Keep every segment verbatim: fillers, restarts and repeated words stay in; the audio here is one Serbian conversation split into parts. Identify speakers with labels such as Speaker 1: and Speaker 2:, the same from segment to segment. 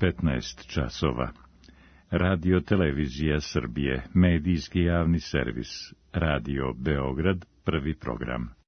Speaker 1: petnaest časova. Radio Televizija Srbije, medijski javni servis, Radio Beograd, prvi program.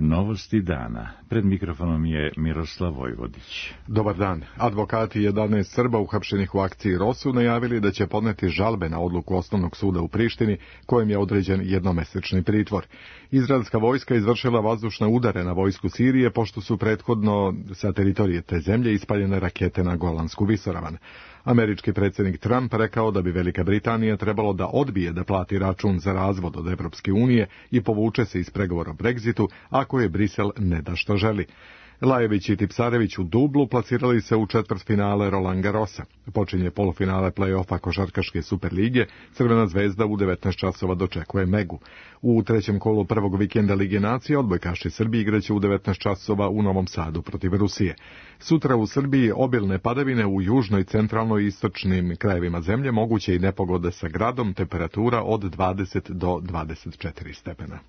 Speaker 1: Novosti dana. Pred mikrofonom je Miroslav Vojvodić.
Speaker 2: Dobar dan. Advokati jedanaest Srba uhapšenih u akciji Rosu najavili da će podneti žalbe na odluku Osnovnog suda u Prištini, kojem je određen jednomesečni pritvor. Izraelska vojska izvršila vazdušne udare na vojsku Sirije, pošto su prethodno sa teritorije te zemlje ispaljene rakete na Golansku visoravan. Američki predsjednik Trump rekao da bi Velika Britanija trebalo da odbije da plati račun za razvod od Evropske unije i povuče se iz pregovora o Brexitu ako je Brisel ne da što želi. Lajević i Tipsarević u dublu plasirali se u četvrtfinale Roland Garrosa. Počinje polufinale play-offa košarkaške Superlige, Crvena zvezda u devetnaest časova dočekuje Megu. U trećem kolu prvog vikenda Lige nacija odbojkaši Srbije igraće u devetnaest časova u Novom Sadu protiv Rusije. Sutra u Srbiji obilne padavine u južnoj, centralnoj i istočnim krajevima zemlje, moguće i nepogode sa gradom, temperatura od dvadeset do dvadeset četiri stepena.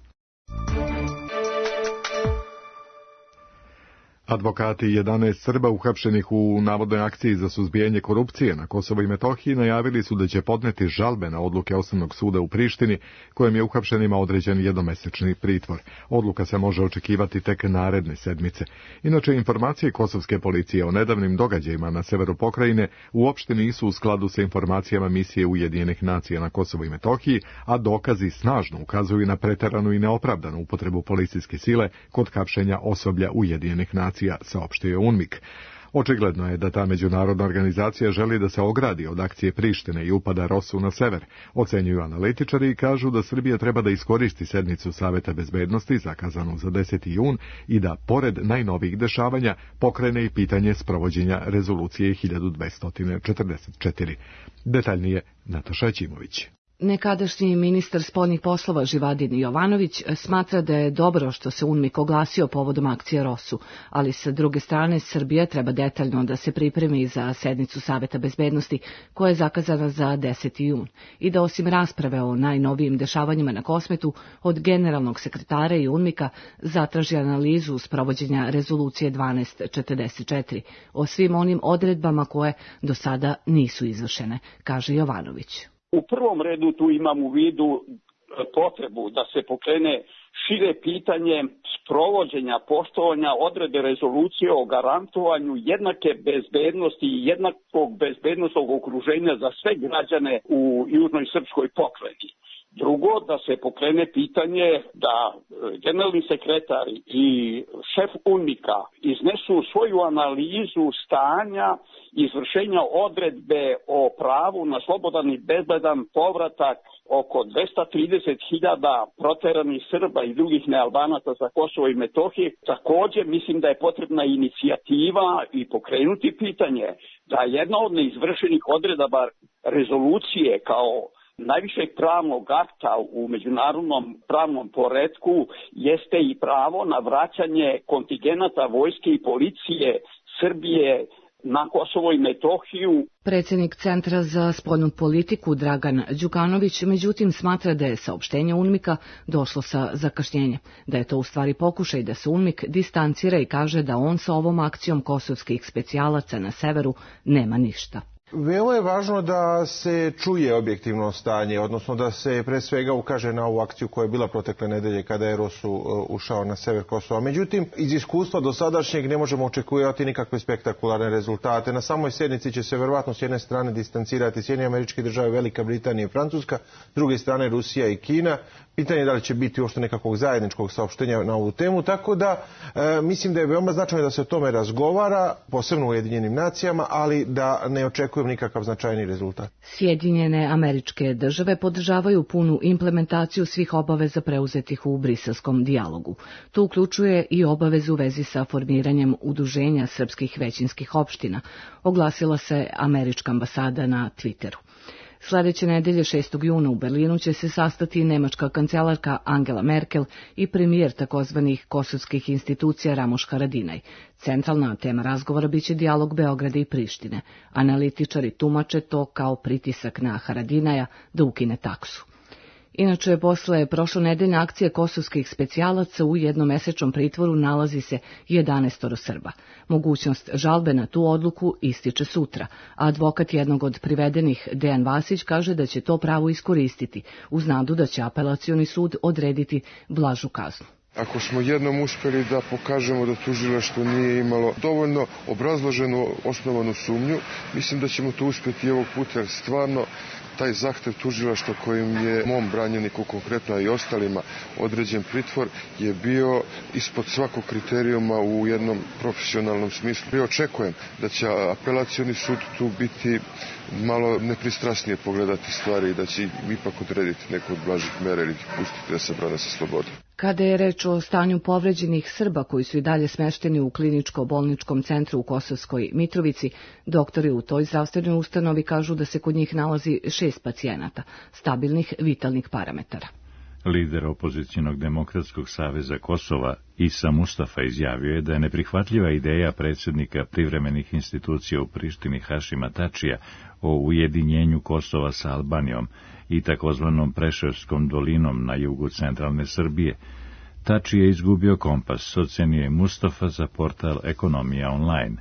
Speaker 2: Advokati jedanaest Srba uhapšenih u navodnoj akciji za suzbijanje korupcije na Kosovu i Metohiji najavili su da će podneti žalbe na odluke Osnovnog suda u Prištini, kojem je uhapšenima određen jednomesečni pritvor. Odluka se može očekivati tek naredne sedmice. Inače, informacije kosovske policije o nedavnim događajima na severu pokrajine uopšte nisu u skladu sa informacijama misije Ujedinjenih nacija na Kosovu i Metohiji, a dokazi snažno ukazuju na preteranu i neopravdanu upotrebu policijske sile kod hapšenja osoblja Ujedinjenih nacija, saopštio je UNMIK. Očigledno je da ta međunarodna organizacija želi da se ogradi od akcije Prištine i upada Rosu na sever. Ocenjuju analitičari i kažu da Srbija treba da iskoristi sednicu Saveta bezbednosti zakazanu za deseti jun i da, pored najnovijih dešavanja, pokrene i pitanje sprovođenja rezolucije hiljadu dvesta četrdeset četiri. Detaljnije Nataša Ćimović.
Speaker 3: Nekadašnji ministar spoljnih poslova Živadin Jovanović smatra da je dobro što se UNMIK oglasio povodom akcije Rosu, ali sa druge strane Srbija treba detaljno da se pripremi za sednicu Saveta bezbednosti koja je zakazana za deseti jun i da osim rasprave o najnovijim dešavanjima na Kosmetu od generalnog sekretara i UNMIK-a zatraži analizu sprovođenja rezolucije dvanaest četrdeset četiri o svim onim odredbama koje do sada nisu izvršene, kaže Jovanović.
Speaker 4: U prvom redu tu imam u vidu potrebu da se pokrene šire pitanje sprovođenja poštovanja odredbe rezolucije o garantovanju jednake bezbednosti i jednakog bezbednosnog okruženja za sve građane u južnoj srpskoj pokrajini. Drugo, da se pokrene pitanje da generalni sekretar i šef UNMIK-a iznesu svoju analizu stanja izvršenja odredbe o pravu na slobodan i bezbedan povratak oko dvesta trideset hiljada proteranih Srba i drugih nealbanaca sa Kosova i Metohije. Također mislim da je potrebna inicijativa i pokrenuti pitanje da jedna od neizvršenih odredaba rezolucije kao najvišeg pravnog akta u međunarodnom pravnom poretku jeste i pravo na vraćanje kontingenata vojske i policije Srbije na Kosovo i Metohiju.
Speaker 3: Predsjednik Centra za spoljnu politiku Dragan Đukanović međutim smatra da je saopštenje UNMIK-a došlo sa zakašnjenjem, da je to u stvari pokušaj da se UNMIK distancira i kaže da on sa ovom akcijom kosovskih specijalaca na severu nema ništa.
Speaker 5: Veoma je važno da se čuje objektivno stanje, odnosno da se pre svega ukaže na ovu akciju koja je bila protekle nedelje kada je Rosu ušao na sever Kosova. Međutim, iz iskustva do sadašnjeg ne možemo očekivati nikakve spektakularne rezultate. Na samoj sjednici će se verovatno s jedne strane distancirati Sjedinjene Američke Države, Velika Britanija i Francuska, s druge strane Rusija i Kina. Pitanje je da li će biti uopšte nekakvog zajedničkog saopštenja na ovu temu, tako da e, mislim da je veoma značajno da se o tome razgovara, posebno u Ujedinjenim nacijama, ali da ne očekujem nikakav značajni rezultat.
Speaker 3: Sjedinjene Američke Države podržavaju punu implementaciju svih obaveza preuzetih u briselskom dijalogu. To uključuje i obavezu u vezi sa formiranjem udruženja srpskih većinskih opština, oglasila se američka ambasada na Twitteru. Sljedeće nedelje šestog juna u Berlinu će se sastati nemačka kancelarka Angela Merkel i premijer takozvanih kosovskih institucija Ramuš Haradinaj. Centralna tema razgovora biće dijalog Beograda i Prištine. Analitičari tumače to kao pritisak na Haradinaja da ukine taksu. Inače, posle prošlonedeljne akcije kosovskih specijalaca u jednomesečnom pritvoru nalazi se jedanaestoro Srba. Mogućnost žalbe na tu odluku ističe sutra, a advokat jednog od privedenih, Dejan Vasić, kaže da će to pravo iskoristiti, uz nadu da će apelacioni sud odrediti blažu kaznu.
Speaker 6: Ako smo jednom uspeli da pokažemo da tužilaštvo nije imalo dovoljno obrazloženu osnovanu sumnju, mislim da ćemo to uspjeti i ovog puta, jer stvarno taj zahtev tužilaštva kojim je mom branjeniku konkretno i ostalima određen pritvor je bio ispod svakog kriterijuma u jednom profesionalnom smislu. I očekujem da će apelacioni sud tu biti malo nepristrasnije pogledati stvari i da će ipak odrediti neku od blažih mera ili pustiti da se brane sa slobode.
Speaker 3: Kada je reč o stanju povređenih Srba koji su i dalje smešteni u kliničko-bolničkom centru u Kosovskoj Mitrovici, doktori u toj zdravstvenoj ustanovi kažu da se kod njih nalazi šest pacijenata, stabilnih vitalnih parametara.
Speaker 1: Lider opozicionog demokratskog saveza Kosova, Isa Mustafa, izjavio je da je neprihvatljiva ideja predsjednika privremenih institucija u Prištini Hašima Tačija o ujedinjenju Kosova sa Albanijom i takozvanom Preševskom dolinom na jugu centralne Srbije. Tači je izgubio kompas, ocenio je Mustafa za portal Ekonomija online.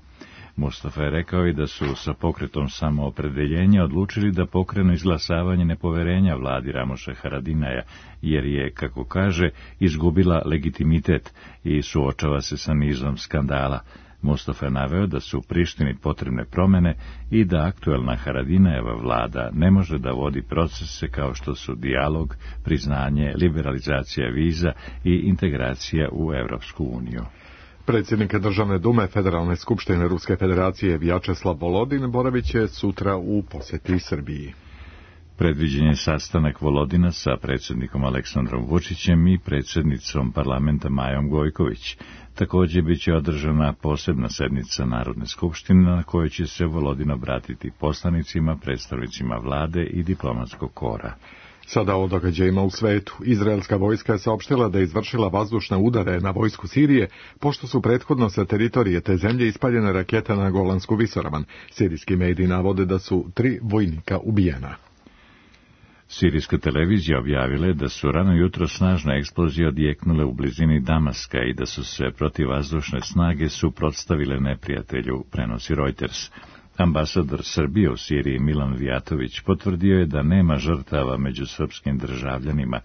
Speaker 1: Mustafa je rekao i da su sa pokretom samoopredeljenja odlučili da pokrenu izglasavanje nepoverenja vladi Ramoša Haradinaja, jer je, kako kaže, izgubila legitimitet i suočava se sa nizom skandala. Mustafa je naveo da su u Prištini potrebne promene i da aktuelna Haradinajeva vlada ne može da vodi procese kao što su dijalog, priznanje, liberalizacija viza i integracija u Evropsku uniju.
Speaker 2: Predsjednik Državne dume Federalne skupštine Ruske federacije Vjačeslav Volodin boravit će sutra u posjeti Srbiji.
Speaker 1: Predviđen je sastanak Volodina sa predsjednikom Aleksandrom Vučićem i predsjednicom parlamenta Majom Gojković. Također bit će održana posebna sednica Narodne skupštine na kojoj će se Volodin obratiti poslanicima, predstavnicima vlade i diplomatskog kora.
Speaker 2: Sada o događajima u svetu. Izraelska vojska je saopštila da je izvršila vazdušne udare na vojsku Sirije, pošto su prethodno sa teritorije te zemlje ispaljene rakete na Golansku visoravan. Sirijski mediji navode da su tri vojnika ubijena.
Speaker 1: Sirijska televizija objavila je da su rano jutro snažne eksplozije odjeknule u blizini Damaska i da su se protivvazdušne snage suprotstavile neprijatelju, prenosi Reuters. Ambasador Srbije u Siriji Milan Vijatović potvrdio je da nema žrtava među srpskim državljanima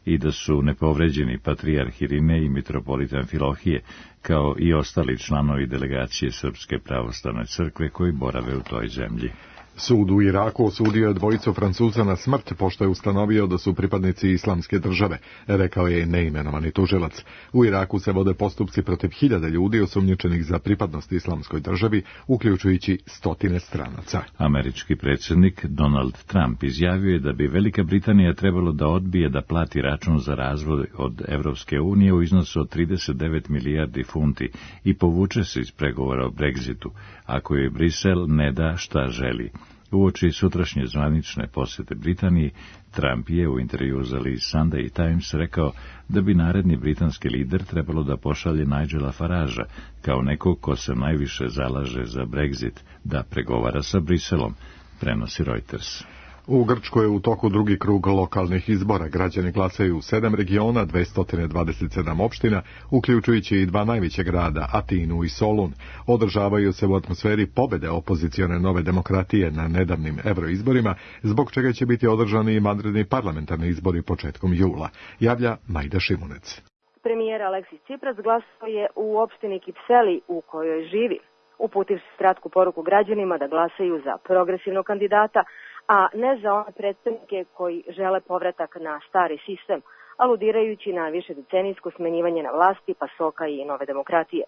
Speaker 1: i da su nepovređeni patrijarh Irinej i mitropolita Amfilohije, kao i ostali članovi delegacije Srpske pravoslavne crkve koji borave u toj zemlji.
Speaker 2: Sud u Iraku osudio je dvojicu Francuza na smrt, pošto je ustanovio da su pripadnici islamske države, rekao je neimenovani tužilac. U Iraku se vode postupci protiv hiljada ljudi osumnjičenih za pripadnost islamskoj državi, uključujući stotine stranaca.
Speaker 1: Američki predsjednik Donald Trump izjavio je da bi Velika Britanija trebalo da odbije da plati račun za razvoj od Evropske unije u iznosu od trideset devet milijardi funti i povuče se iz pregovora o Brexitu, ako je Brisel ne da šta želi. Uoči sutrašnje zvanične posjete Britaniji, Trump je u intervju za list Sunday Times rekao da bi naredni britanski lider trebalo da pošalje Nigela Faragea kao nekog ko se najviše zalaže za Brexit, da pregovara sa Briselom, prenosi Reuters.
Speaker 2: U Grčkoj je u toku drugi krug lokalnih izbora. Građani glasaju u sedam regiona, dvesta dvadeset sedam opština, uključujući i dva najveća grada, Atinu i Solun. Održavaju se u atmosferi pobjede opozicione Nove demokratije na nedavnim euroizborima, zbog čega će biti održani i vanredni parlamentarni izbori početkom jula, javlja Majda Šimunec.
Speaker 7: Premijer Aleksis Cipras glasao je u opštini Kipseli u kojoj živi. Uputiv se kratku poruku građanima da glasaju za progresivnog kandidata, a ne za one predstavnike koji žele povratak na stari sistem, aludirajući na višedecenijsko smenjivanje na vlasti pasoka i Nove demokratije.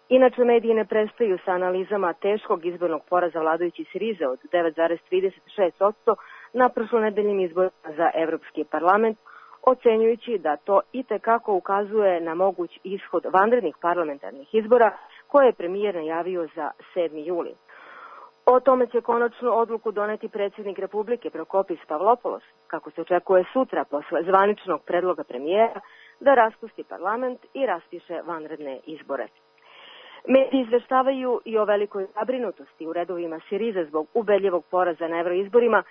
Speaker 7: Inače, mediji ne prestaju sa analizama teškog izbornog poraza vladajući Sirize od devet zarez trideset šest posto na prošlonedeljnim izborima za Evropski parlament, ocenjujući da to itekako ukazuje na moguć ishod vanrednih parlamentarnih izbora koje je premijer najavio za sedmi juli. O tome će konačnu odluku doneti predsjednik Republike Prokopis Pavlopoulos, kako se očekuje sutra posle zvaničnog predloga premijera da raspusti parlament i raspiše vanredne izbore. Mediji izveštavaju i o velikoj zabrinutosti u redovima Sirize zbog ubedljivog poraza na evroizborima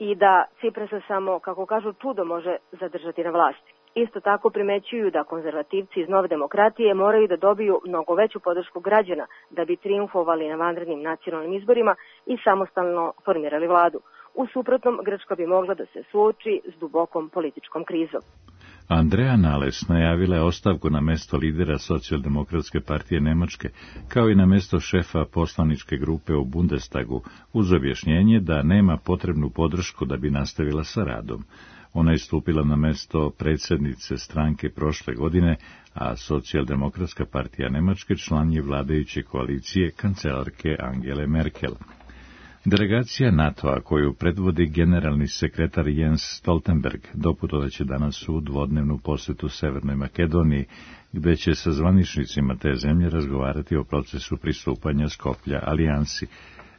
Speaker 7: i da Ciprasa samo, kako kažu, čudo može zadržati na vlasti. Isto tako primećuju da konzervativci iz Nove demokratije moraju da dobiju mnogo veću podršku građana da bi triumfovali na vanrednim nacionalnim izborima i samostalno formirali vladu. U suprotnom, Grčka bi mogla da se suoči s dubokom političkom krizom.
Speaker 1: Andrea Nales najavila je ostavku na mesto lidera Socijaldemokratske partije Nemačke, kao i na mesto šefa poslaničke grupe u Bundestagu, uz objašnjenje da nema potrebnu podršku da bi nastavila sa radom. Ona je stupila na mesto predsjednice stranke prošle godine, a Socijaldemokratska partija Nemačke član je vladajuće koalicije kancelarke Angele Merkel. Delegacija NATO-a, koju predvodi generalni sekretar Jens Stoltenberg, doputovaće danas u dvodnevnu posjetu Severnoj Makedoniji, gde će sa zvaničnicima te zemlje razgovarati o procesu pristupanja Skoplja alijansi.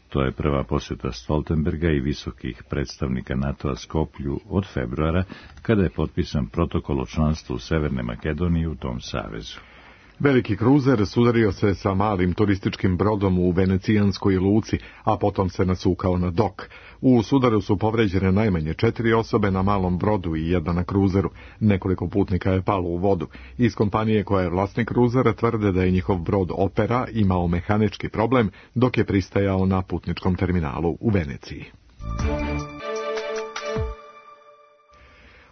Speaker 1: To je prva posjeta Stoltenberga i visokih predstavnika NATO-a Skoplju od februara, kada je potpisan protokol o članstvu Severne Makedonije u tom savezu.
Speaker 2: Veliki kruzer sudario se sa malim turističkim brodom u venecijanskoj luci, a potom se nasukao na dok. U sudaru su povređene najmanje četiri osobe na malom brodu i jedna na kruzeru. Nekoliko putnika je palo u vodu. Iz kompanije koja je vlasnik kruzera tvrde da je njihov brod Opera imao mehanički problem dok je pristajao na putničkom terminalu u Veneciji.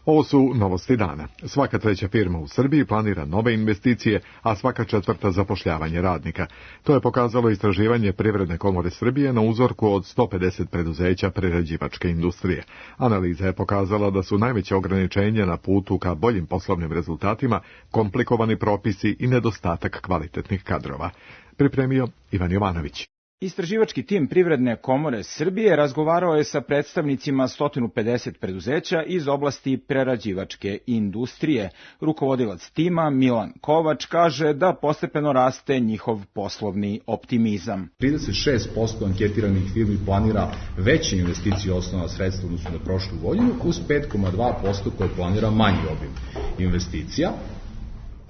Speaker 2: Ovo su novosti dana. Svaka treća firma u Srbiji planira nove investicije, a svaka četvrta zapošljavanje radnika. To je pokazalo istraživanje Privredne komore Srbije na uzorku od sto pedeset preduzeća prerađivačke industrije. Analiza je pokazala da su najveće ograničenja na putu ka boljim poslovnim rezultatima komplikovani propisi i nedostatak kvalitetnih kadrova. Pripremio Ivan Jovanović.
Speaker 8: Istraživački tim Privredne komore Srbije razgovarao je sa predstavnicima sto pedeset preduzeća iz oblasti prerađivačke industrije. Rukovodilac tima Milan Kovač kaže da postepeno raste njihov poslovni optimizam.
Speaker 9: trideset šest posto anketiranih firmi planira veće investicije osnovna sredstva odnosno na prošlu godinu, uz pet zarez dva posto koje planira manji obim investicija.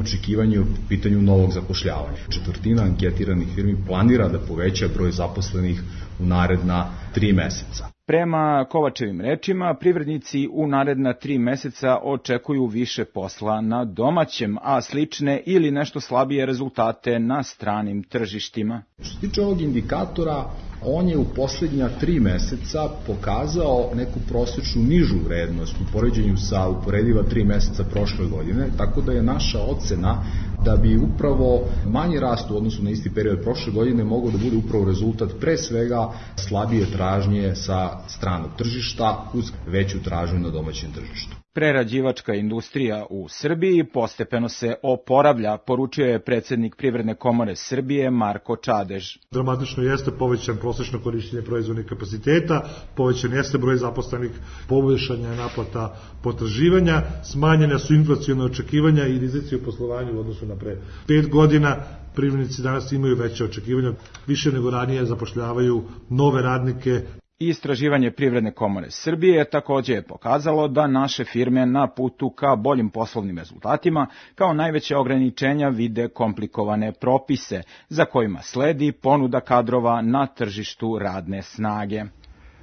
Speaker 9: Očekivanje u pitanju novog zapošljavanja. Četvrtina anketiranih firmi planira da poveća broj zaposlenih u naredna tri meseca.
Speaker 8: Prema Kovačevim rečima, privrednici u naredna tri meseca očekuju više posla na domaćem, a slične ili nešto slabije rezultate na stranim tržištima.
Speaker 9: Što se tiče ovog indikatora, on je u posljednja tri meseca pokazao neku prosječnu nižu vrednost u poređenju sa uporediva tri meseca prošle godine, tako da je naša ocena da bi upravo manji rast u odnosu na isti period prošle godine mogao da bude upravo rezultat pre svega slabije tražnje sa stranog tržišta uz veću tražnju na domaćem tržištu.
Speaker 8: Prerađivačka industrija u Srbiji postepeno se oporavlja, poručio je predsjednik Privredne komore Srbije Marko Čadež.
Speaker 10: Dramatično jeste povećan prosečno korištenje proizvodnih kapaciteta, povećan jeste broj zaposlenih, poboljšanja je naplata potraživanja, smanjene su inflacione očekivanja i rizici u poslovanju u odnosu na pre pet godina. Privrednici danas imaju veće očekivanja, više nego ranije zapošljavaju nove radnike.
Speaker 8: Istraživanje Privredne komore Srbije također je pokazalo da naše firme na putu ka boljim poslovnim rezultatima kao najveće ograničenja vide komplikovane propise, za kojima sledi ponuda kadrova na tržištu radne snage.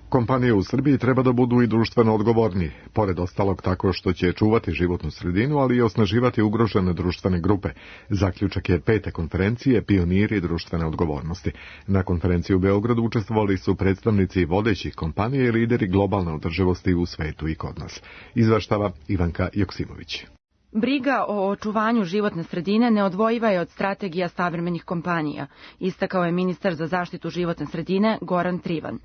Speaker 2: Kompanije u Srbiji treba da budu i društveno odgovorni, pored ostalog tako što će čuvati životnu sredinu, ali i osnaživati ugrožene društvene grupe. Zaključak je pete konferencije Pioniri društvene odgovornosti. Na konferenciji u Beogradu učestvovali su predstavnici vodećih kompanija i lideri globalne održivosti u svetu i kod nas. Izveštava Ivanka Joksimović.
Speaker 11: Briga o očuvanju životne sredine neodvojiva je od strategija savremenih kompanija, istakao je ministar za zaštitu životne sredine Goran Trivan.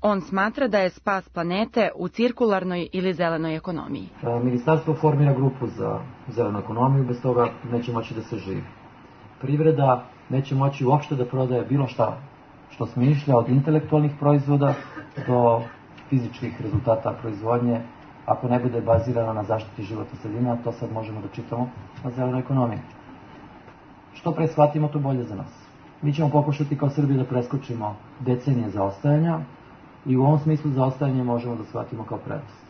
Speaker 11: On smatra da je spas planete u cirkularnoj ili zelenoj ekonomiji.
Speaker 12: Ministarstvo formira grupu za zelenu ekonomiju, bez toga neće moći da se živi. Privreda neće moći uopšte da prodaje bilo šta što smišlja, od intelektualnih proizvoda do fizičkih rezultata proizvodnje, ako ne bude bazirana na zaštiti životne sredine, a to sad možemo da čitamo na zelenoj ekonomiji. Što pre shvatimo, to bolje za nas. Mi ćemo pokušati kao Srbija da preskočimo decenije zaostajanja, i u ovom smislu zaostajanje možemo da shvatimo kao prednost.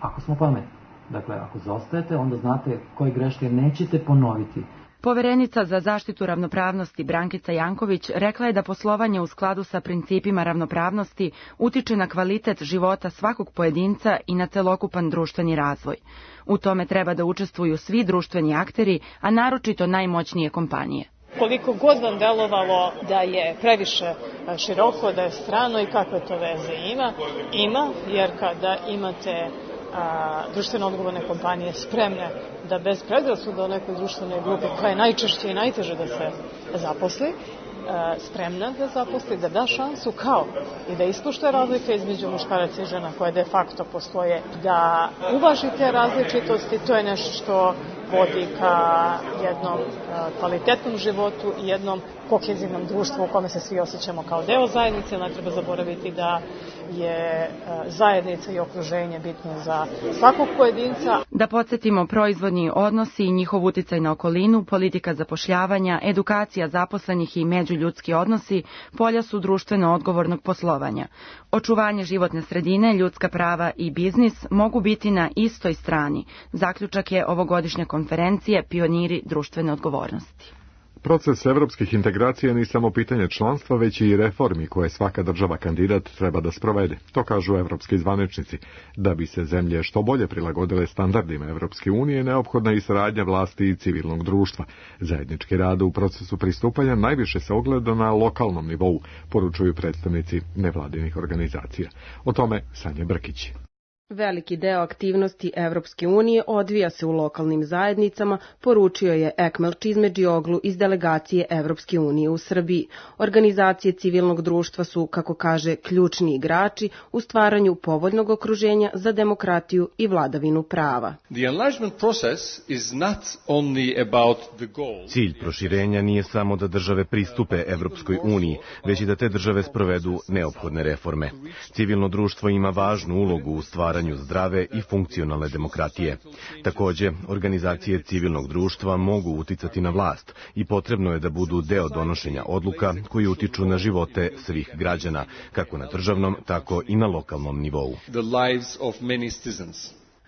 Speaker 12: Ako smo pametni, dakle, ako zaostajete, onda znate koje greške nećete ponoviti.
Speaker 11: Poverenica za zaštitu ravnopravnosti Brankica Janković rekla je da poslovanje u skladu sa principima ravnopravnosti utiče na kvalitet života svakog pojedinca i na celokupan društveni razvoj. U tome treba da učestvuju svi društveni akteri, a naročito najmoćnije kompanije.
Speaker 13: Koliko god vam delovalo da je previše široko, da je strano i kakve to veze ima, ima, jer kada imate a, društveno odgovorne kompanije spremne da bez predrasuda o nekoj društvenoj grupi, koja je najčešće i najteže da se zaposli, a, spremna da zaposli, da da šansu kao i da ispoštuje razlike između muškaraca i žena koje de facto postoje, da uvaži te različitosti, to je nešto što vodi ka jednom kvalitetnom životu i jednom kohezivnom društvu u kome se svi osjećamo kao deo zajednice. Ne treba zaboraviti da je zajednica i okruženje bitno za svakog pojedinca.
Speaker 11: Da podsjetimo, proizvodni odnosi i njihov uticaj na okolinu, politika zapošljavanja, edukacija zaposlenih i međuljudski odnosi polja su društveno odgovornog poslovanja. Očuvanje životne sredine, ljudska prava i biznis mogu biti na istoj strani. Zaključak je ovogodišnja konferencije Pioniri društvene odgovornosti.
Speaker 2: Proces evropskih integracija nije samo pitanje članstva, već i reformi koje svaka država kandidat treba da sprovede. To kažu evropski zvaničnici. Da bi se zemlje što bolje prilagodile standardima Evropske unije, neophodna je i saradnja vlasti i civilnog društva. Zajednički rad u procesu pristupanja najviše se ogleda na lokalnom nivou, poručuju predstavnici nevladinih organizacija. O tome Sanja Brkić.
Speaker 14: Veliki deo aktivnosti Evropske unije odvija se u lokalnim zajednicama, poručio je Ekmel Čizmedžioglu iz delegacije Evropske unije u Srbiji. Organizacije civilnog društva su, kako kaže, ključni igrači u stvaranju povoljnog okruženja za demokratiju i vladavinu prava.
Speaker 15: Cilj proširenja nije samo da države pristupe Evropskoj uniji, već i da te države sprovedu neophodne reforme. Civilno društvo ima važnu ulogu u stvaranju zdrave i funkcionalne demokratije. Takođe, organizacije civilnog društva mogu uticati na vlast i potrebno je da budu deo donošenja odluka koji utiču na živote svih građana, kako na državnom, tako i na lokalnom nivou.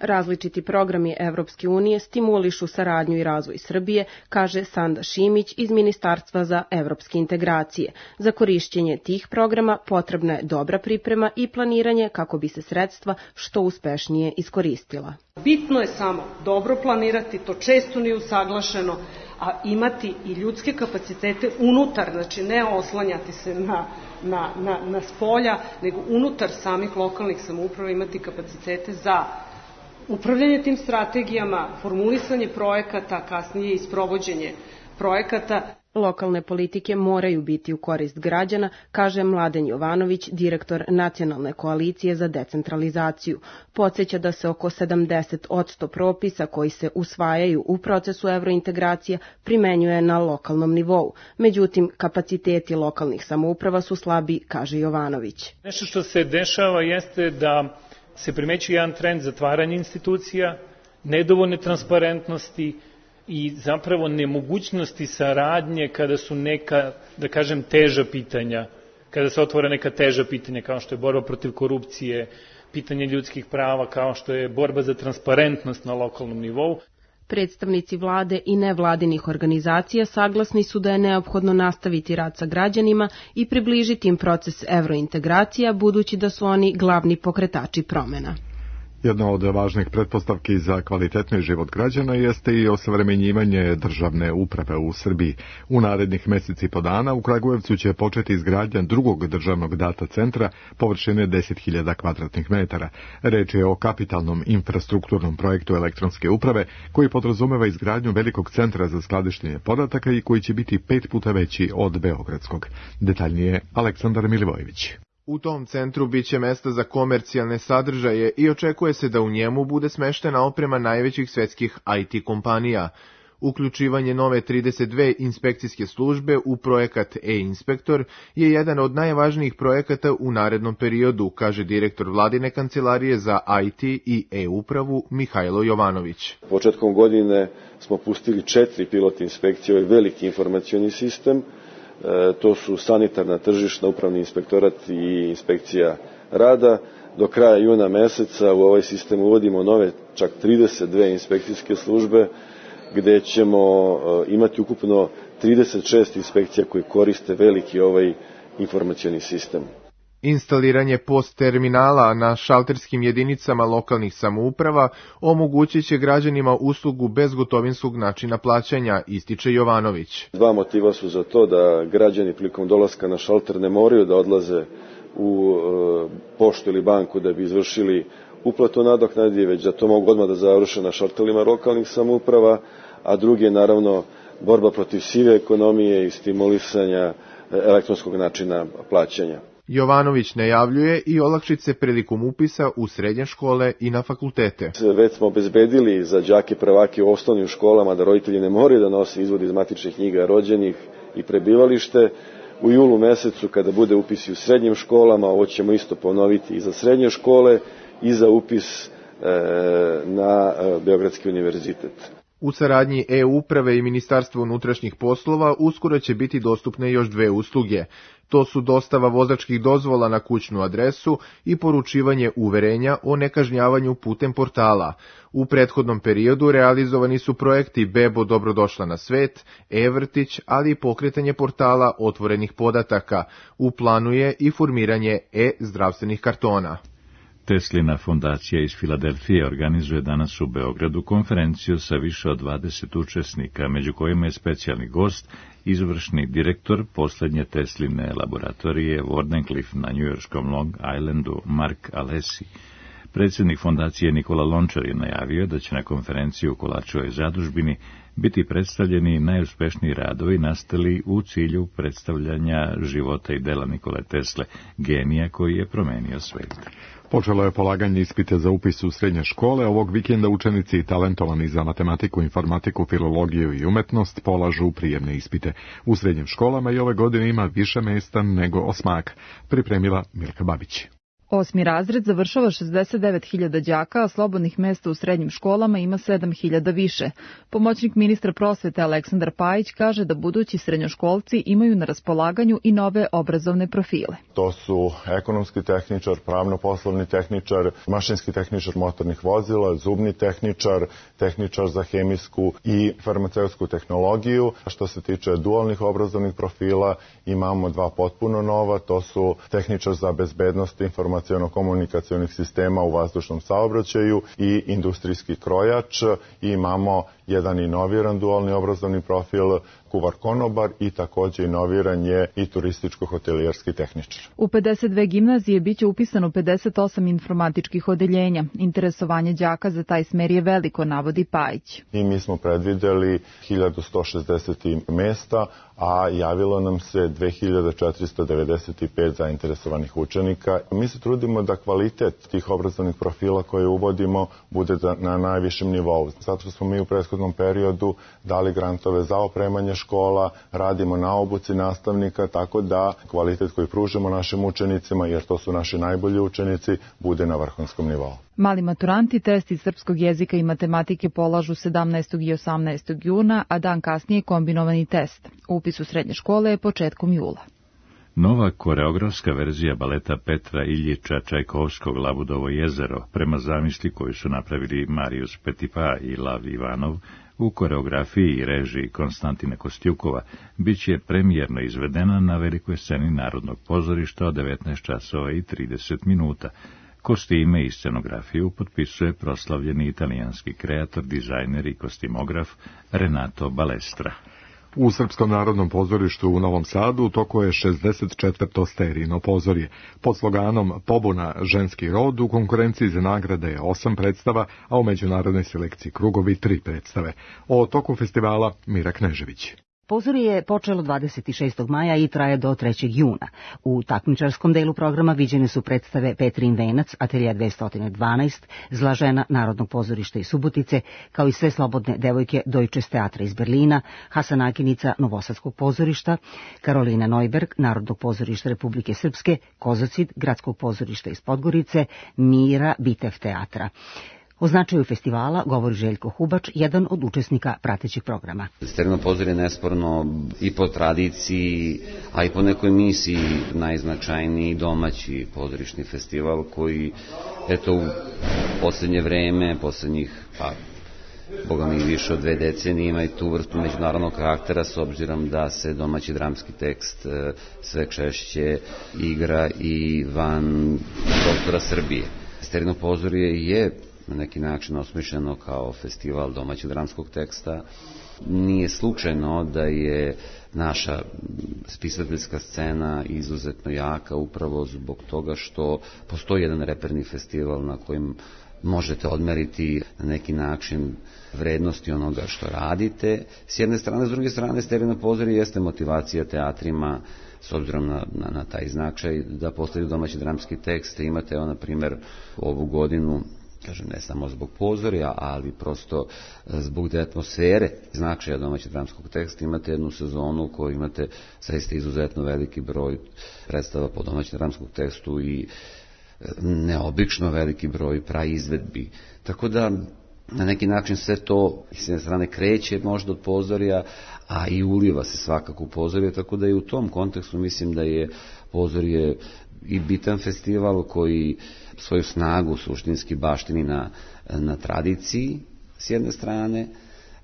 Speaker 14: Različiti programi Evropske unije stimulišu saradnju i razvoj Srbije, kaže Sanda Šimić iz Ministarstva za evropske integracije. Za korišćenje tih programa potrebna je dobra priprema i planiranje kako bi se sredstva što uspešnije iskoristila.
Speaker 16: Bitno je samo dobro planirati, to često nije usaglašeno, a imati i ljudske kapacitete unutar, znači ne oslanjati se na, na, na, na spolja, nego unutar samih lokalnih samouprava imati kapacitete za upravljanje tim strategijama, formulisanje projekata, kasnije i sprovođenje projekata.
Speaker 14: Lokalne politike moraju biti u korist građana, kaže Mladen Jovanović, direktor Nacionalne koalicije za decentralizaciju. Podsjeća da se oko sedamdeset posto propisa koji se usvajaju u procesu evrointegracija primenjuje na lokalnom nivou. Međutim, kapaciteti lokalnih samouprava su slabi, kaže Jovanović.
Speaker 17: Nešto što se dešava jeste da se primećuje jedan trend zatvaranja institucija, nedovoljne transparentnosti i zapravo nemogućnosti saradnje kada su neka, da kažem, teža pitanja, kada se otvore neka teža pitanja kao što je borba protiv korupcije, pitanje ljudskih prava, kao što je borba za transparentnost na lokalnom nivou.
Speaker 14: Predstavnici vlade i nevladinih organizacija saglasni su da je neophodno nastaviti rad sa građanima i približiti im proces evrointegracija, budući da su oni glavni pokretači promena.
Speaker 2: Jedna od važnih pretpostavki za kvalitetni život građana jeste i osavremenjivanje državne uprave u Srbiji. U narednih meseci i po dana u Kragujevcu će početi izgradnja drugog državnog data centra površine deset hiljada kvadratnih metara. Reč je o kapitalnom infrastrukturnom projektu elektronske uprave koji podrazumeva izgradnju velikog centra za skladištenje podataka i koji će biti pet puta veći od beogradskog. Detaljnije Aleksandar Milivojević.
Speaker 18: U tom centru biće mesta za komercijalne sadržaje i očekuje se da u njemu bude smeštena oprema najvećih svetskih I T kompanija. Uključivanje nove trideset dve inspekcijske službe u projekat e-inspektor je jedan od najvažnijih projekata u narednom periodu, kaže direktor vladine kancelarije za I T i e-upravu Mihajlo Jovanović.
Speaker 19: Početkom godine smo pustili četiri pilot inspekcije, ovaj veliki informacioni sistem. To su sanitarna, tržišna, upravni inspektorat i inspekcija rada. Do kraja juna meseca u ovaj sistem uvodimo nove čak trideset dve inspekcijske službe gde ćemo imati ukupno trideset šest inspekcija koje koriste veliki ovaj informacioni sistem.
Speaker 18: Instaliranje post terminala na šalterskim jedinicama lokalnih samouprava omogućit će građanima uslugu bezgotovinskog načina plaćanja, ističe Jovanović.
Speaker 19: Dva motiva su za to da građani prilikom dolaska na šalter ne moraju da odlaze u e, poštu ili banku da bi izvršili uplatu nadoknadi, već da to mogu odmah da završe na šalterima lokalnih samouprava, a drugi je naravno borba protiv sive ekonomije i stimulisanja elektronskog načina plaćanja.
Speaker 18: Jovanović najavljuje i olakšice prilikom upisa u srednje škole i na fakultete.
Speaker 19: Već smo obezbedili za đake prvake u osnovnim školama da roditelji ne moraju da nose izvod iz matičnih knjiga rođenih i prebivalište. U julu mesecu kada bude upis u srednjim školama, ovo ćemo isto ponoviti i za srednje škole i za upis e, na Beogradski univerzitet.
Speaker 18: U saradnji e-uprave i Ministarstva unutrašnjih poslova uskoro će biti dostupne još dve usluge. To su dostava vozačkih dozvola na kućnu adresu i poručivanje uverenja o nekažnjavanju putem portala. U prethodnom periodu realizovani su projekti Bebo dobrodošla na svet, e-vrtić, ali i pokretanje portala otvorenih podataka. U planu je i formiranje e-zdravstvenih kartona.
Speaker 1: Teslina fondacija iz Filadelfije organizuje danas u Beogradu konferenciju sa više od dvadeset učesnika, među kojima je specijalni gost, izvršni direktor poslednje Tesline laboratorije Wardenclyffe na njujorškom Long Islandu, Mark Alesi. Predsjednik fondacije Nikola Lončar je najavio da će na konferenciji u Kolačevoj zadužbini biti predstavljeni najuspešniji radovi nastali u cilju predstavljanja života i dela Nikole Tesle, genija koji je promenio svet.
Speaker 2: Počelo je polaganje ispita za upis u srednje škole. Ovog vikenda učenici talentovani za matematiku, informatiku, filologiju i umetnost polažu prijemne ispite. U srednjim školama i ove godine ima više mesta nego osmak. Pripremila Milka Babić.
Speaker 20: Osmi razred završava šezdeset devet hiljada đaka, a slobodnih mesta u srednjim školama ima sedam hiljada više. Pomoćnik ministra prosvete Aleksandar Pajić kaže da budući srednjoškolci imaju na raspolaganju i nove obrazovne profile.
Speaker 21: To su ekonomski tehničar, pravno-poslovni tehničar, mašinski tehničar motornih vozila, zubni tehničar, tehničar za hemijsku i farmaceutsku tehnologiju. Što se tiče dualnih obrazovnih profila, imamo dva potpuno nova, to su tehničar za bezbednost informacija komunikacionih sistema u vazdušnom saobraćaju i industrijski krojač. I imamo jedan inoviran dualni obrazovni profil kuvar konobar i takođe inoviran je i turističko-hotelijerski tehničar.
Speaker 20: U pedeset dve gimnazije biće upisano pedeset osam informatičkih odeljenja. Interesovanje đaka za taj smer je veliko, navodi Pajić.
Speaker 21: I mi smo predvideli hiljadu sto šezdeset mesta, a javilo nam se dve hiljade četiristo devedeset pet zainteresovanih učenika. Mi se trudimo da kvalitet tih obrazovnih profila koje uvodimo bude na najvišem nivou. Zato što smo mi u prethodnom periodu dali grantove za opremanje škola, radimo na obuci nastavnika, tako da kvalitet koji pružamo našim učenicima, jer to su naši najbolji učenici, bude na vrhunskom nivou.
Speaker 20: Mali maturanti test iz srpskog jezika i matematike polažu sedamnaestog i osamnaestog juna, a dan kasnije kombinovani test. Upis u srednje škole je početkom jula.
Speaker 1: Nova koreografska verzija baleta Petra Iljiča Čajkovskog Labudovo jezero, prema zamisli koju su napravili Marius Petipa i Lav Ivanov, u koreografiji i režiji Konstantina Kostjukova, bit će premijerno izvedena na velikoj sceni Narodnog pozorišta od devetnaest časova i trideset minuta. Kostime i scenografiju potpisuje proslavljeni italijanski kreator, dizajner i kostimograf Renato Balestra.
Speaker 2: U Srpskom narodnom pozorištu u Novom Sadu toko je šezdeset četvrto sterijino pozorje. Pod sloganom Pobuna ženski rod u konkurenciji za nagrade je osam predstava, a u međunarodnoj selekciji Krugovi tri predstave. O toku festivala Mira Knežević.
Speaker 22: Pozorje je počelo dvadeset šestog maja i traje do trećeg juna. U takmičarskom delu programa viđene su predstave Petrin venac, Atelje dvesta dvanaest, Zla žena Narodnog pozorišta iz Subotice, kao i Sve slobodne devojke Deutsches teatra iz Berlina, Hasan Aginica Novosadskog pozorišta, Karolina Neuberg Narodnog pozorišta Republike Srpske, Kozocid Gradskog pozorišta iz Podgorice, Mira Bitev teatra. O značaju festivala govori Željko Hubač, jedan od učesnika pratećeg programa.
Speaker 23: Sterijino pozorje je nesporno i po tradiciji, a i po nekoj misiji najznačajniji domaći pozorišni festival koji, eto, u poslednje vreme, poslednjih pa, boga mi više od dve decenije, ima i tu vrstu međunarodnog karaktera s obzirom da se domaći dramski tekst sve češće igra i van prostora Srbije. Sterijino pozorje je na neki način osmišljeno kao festival domaćeg dramskog teksta. Nije slučajno da je naša spisateljska scena izuzetno jaka upravo zbog toga što postoji jedan reperni festival na kojem možete odmeriti na neki način vrednosti onoga što radite. S jedne strane, s druge strane, Sterijino pozorje jeste motivacija teatrima s obzirom na, na, na taj značaj da postoji domaći dramski tekst. Imate, evo, na primjer, ovu godinu, kažem, ne samo zbog pozorja, ali prosto zbog te atmosfere, značaja domaćeg dramskog teksta, imate jednu sezonu u kojoj imate zaista izuzetno veliki broj predstava po domaćem dramskom tekstu i neobično veliki broj praizvedbi. Tako da na neki način sve to s jedne strane kreće možda od pozorja, a i uliva se svakako u pozorje, tako da i u tom kontekstu mislim da je pozorje i bitan festival koji svoju snagu suštinski baštini na, na tradiciji s jedne strane,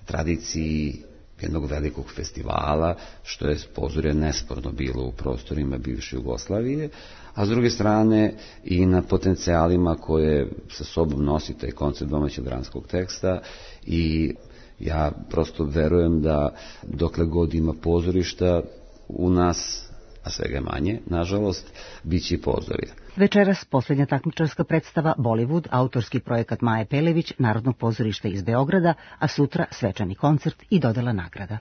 Speaker 23: tradiciji jednog velikog festivala, što je pozorje nesporno bilo u prostorima bivše Jugoslavije, a s druge strane i na potencijalima koje sa sobom nosi taj koncept domaćeg dramskog teksta i ja prosto verujem da dokle god ima pozorišta u nas, a svega manje, nažalost, bit će i pozorja.
Speaker 22: Večeras posljednja takmičarska predstava Bollywood, autorski projekat Maje Pelević, Narodnog pozorišta iz Beograda, a sutra svečani koncert i dodela nagrada.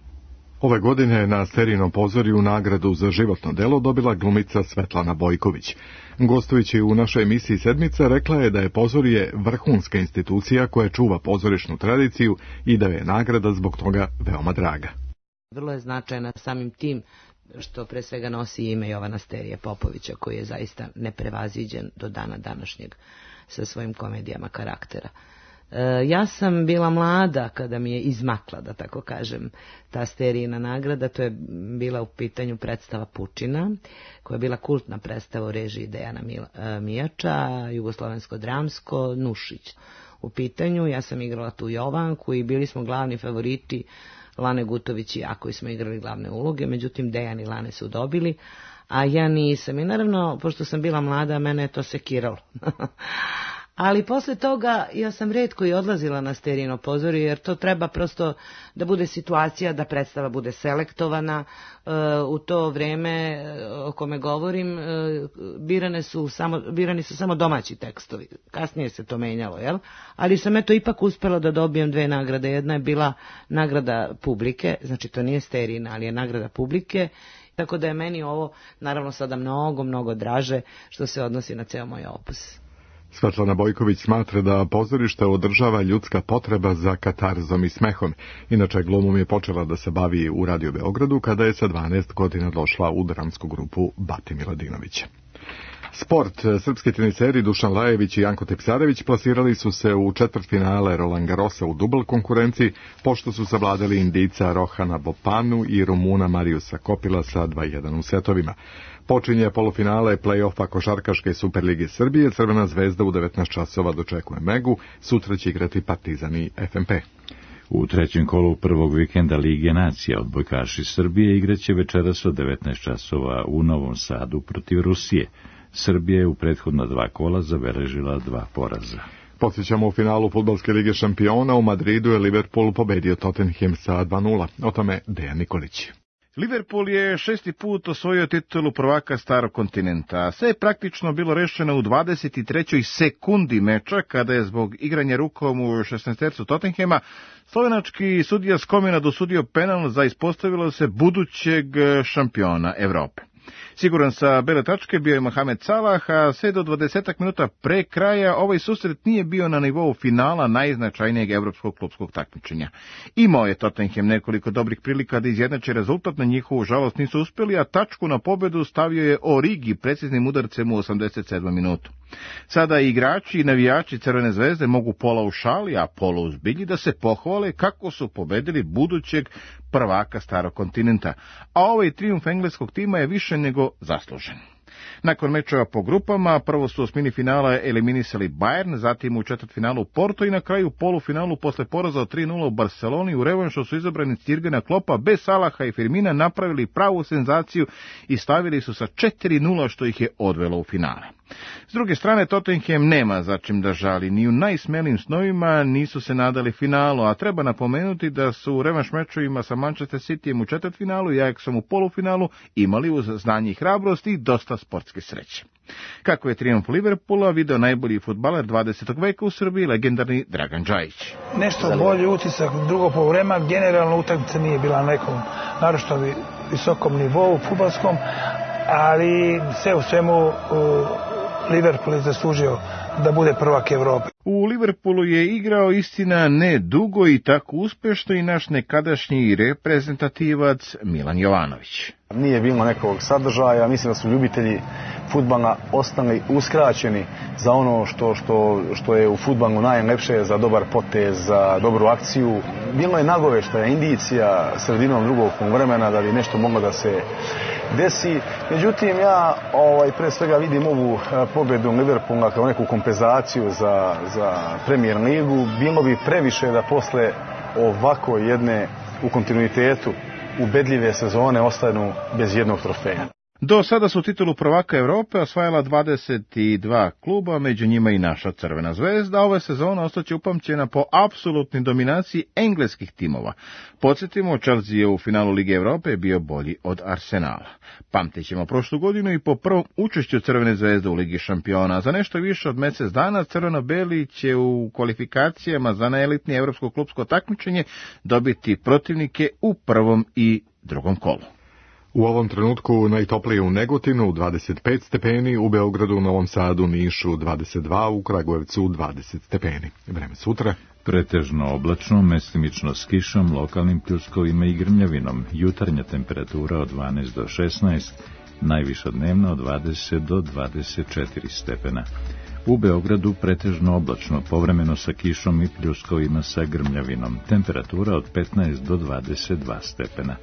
Speaker 2: Ove godine na Sterijinom pozorju nagradu za životno delo dobila glumica Svetlana Bojković. Gostujući u našoj emisiji Sedmica rekla je da je pozorje vrhunska institucija koja čuva pozorišnu tradiciju i da je nagrada zbog toga veoma draga.
Speaker 4: Vrlo je značajna samim tim što pre svega nosi ime Jovana Sterije Popovića, koji je zaista neprevaziđen do dana današnjeg sa svojim komedijama karaktera. E, ja sam bila mlada kada mi je izmakla, da tako kažem, ta Sterijina nagrada. To je bila u pitanju predstava Pučina, koja je bila kultna predstava u režiji Dejana Mijača, jugoslovensko-dramsko, Nušić. U pitanju, ja sam igrala tu Jovanku i bili smo glavni favoriti, Lane Gutović i ja koji smo igrali glavne uloge, međutim Dejan i Lane su dobili, a ja nisam. I naravno, pošto sam bila mlada, mene je to sekiralo. Ali posle toga ja sam retko i odlazila na Sterijino pozorje, jer to treba prosto da bude situacija da predstava bude selektovana. U to vreme o kome govorim birane su samo, birani su samo domaći tekstovi. Kasnije se to menjalo, jel? Ali sam eto ipak uspela da dobijem dve nagrade. Jedna je bila nagrada publike, znači to nije Sterijina, ali je nagrada publike. Tako da je meni ovo naravno sada mnogo, mnogo draže što se odnosi na ceo moj opus.
Speaker 2: Svetlana Bojković smatra da pozorište održava ljudska potreba za katarzom i smehom. Inače, glumom je počela da se bavi u Radio Beogradu kada je sa dvanaest godina došla u dramsku grupu Bati Miladinovića. Sport. Srpski teniseri Dušan Lajević i Janko Tipsarević plasirali su se u četvrtfinale Roland Garrosa u dubl konkurenciji, pošto su savladali Indijca Rohana Bopanu i Rumuna Mariusa Kopila sa dva jedan u setovima. Počinje polufinale play-offa Košarkaške Superlige Srbije. Crvena zvezda u devetnaest časova dočekuje Megu, sutra će igrati Partizan i F M P.
Speaker 1: U trećem kolu prvog vikenda Lige nacija odbojkaši Srbije igraće večeras od devetnaest časova u Novom Sadu protiv Rusije. Srbija je u prethodna dva kola zabeležila dva poraza.
Speaker 2: Podsjećamo, u finalu Fudbalske lige šampiona u Madridu je Liverpool pobedio Tottenham sa dva nula. O tome Dejan Nikolić.
Speaker 5: Liverpool je šesti put osvojio titulu prvaka Starog kontinenta. Sve je praktično bilo rešeno u dvadeset trećoj sekundi meča, kada je zbog igranja rukom u šesnaestercu Tottenhama slovenački sudija Skomina dosudio penal za ispostavilo se budućeg šampiona Evrope. Siguran sa bele tačke bio je Mohamed Salah, a sve do dvadesetak minuta pre kraja ovaj susret nije bio na nivou finala najznačajnijeg evropskog klupskog takmičenja. Imao je Tottenham nekoliko dobrih prilika da izjednače rezultat, na njihovu žalost nisu uspeli, a tačku na pobedu stavio je Origi preciznim udarcem u osamdeset sedmom minutu. Sada igrači i navijači Crvene zvezde mogu pola u šali, a pola u zbilji da se pohvale kako su pobedili budućeg prvaka Starog kontinenta, a ovaj trijumf engleskog tima je više nego zaslužen. Nakon mečeva po grupama, prvo su u osmini finala eliminisali Bayern, zatim u četvrtfinalu Porto i na kraju polufinalu posle poraza od tri nula u Barceloni u revanšu su izabrani Jurgena Kloppa bez Salaha i Firmina napravili pravu senzaciju i stavili su sa četiri nula što ih je odvelo u finale. S druge strane, Tottenham nema za čim da žali, ni u najsmelijim snovima nisu se nadali finalu, a treba napomenuti da su u revanš mečovima sa Manchester Cityjem u četvrtfinalu i Ajaxom u polufinalu imali uz znanje i hrabrost i dosta sportske sreće. Kako je trijumf Liverpoola video najbolji fudbaler dvadesetog veka u Srbiji, legendarni Dragan Džajić.
Speaker 3: Nešto bolji utisak drugo poluvreme, generalno utakmica nije bila na nekom naročito visokom nivou fudbalskom, ali sve u svemu Liverpool je zaslužio da bude prvak Evrope.
Speaker 5: U Liverpoolu je igrao, istina, ne dugo i tako uspešno, i naš nekadašnji reprezentativac Milan Jovanović.
Speaker 6: Nije bilo nekog sadržaja, mislim da su ljubitelji fudbala ostali uskraćeni za ono što, što, što je u fudbalu najlepše, za dobar potez, za dobru akciju. Bilo je nagoveštaja, indicija sredinom drugog vremena da bi nešto moglo da se desi. Međutim, ja ovaj, pre svega vidim ovu pobedu Liverpoola kao neku kompenzaciju za, za Premier ligu. Bilo bi previše da posle ovako jedne u kontinuitetu ubedljive sezone ostanu bez jednog trofeja.
Speaker 5: Do sada su titulu prvaka Evrope osvajala dvadeset dva kluba, među njima i naša Crvena zvezda. Ove sezone ostaće upamćena po apsolutnoj dominaciji engleskih timova. Podsjetimo, Chelsea je u finalu Lige Evrope bio bolji od Arsenala. Pamtit ćemo prošlu godinu i po prvom učešću Crvene zvezde u Ligi šampiona. Za nešto više od mjesec dana crveno-beli će u kvalifikacijama za najelitnije evropsko klupsko takmičenje dobiti protivnike u prvom i drugom kolu.
Speaker 2: U ovom trenutku najtoplije u Negotinu dvadeset pet stepeni, u Beogradu, Novom Sadu, Nišu dvadeset dva, u Kragujevcu dvadeset stepeni. Vreme sutra.
Speaker 1: Pretežno oblačno, mestimično s kišom, lokalnim pljuskovima i grmljavinom. Jutarnja temperatura od dvanaest do šesnaest, najviša dnevna od dvadeset do dvadeset četiri stepena. U Beogradu pretežno oblačno, povremeno sa kišom i pljuskovima sa grmljavinom. Temperatura od petnaest do dvadeset dva stepena.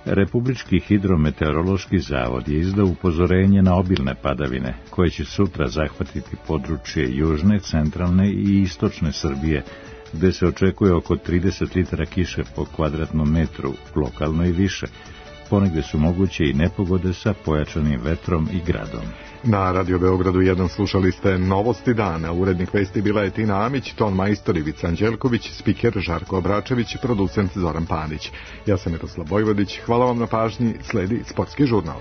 Speaker 1: Republički hidrometeorološki zavod je izdao upozorenje na obilne padavine, koje će sutra zahvatiti područje južne, centralne i istočne Srbije, gde se očekuje oko trideset litara kiše po kvadratnom metru, lokalno i više. Ponegde su moguće i nepogode sa pojačanim vetrom i gradom.
Speaker 2: Na Radio Beogradu jedan slušali ste Novosti dana. Urednik vesti bila je Tina Amić, ton majstor Ivica Anđelković, spiker Žarko Obračević, producent Zoran Panić. Ja sam Miroslav Vojvodić, hvala vam na pažnji, sledi Sportski žurnal.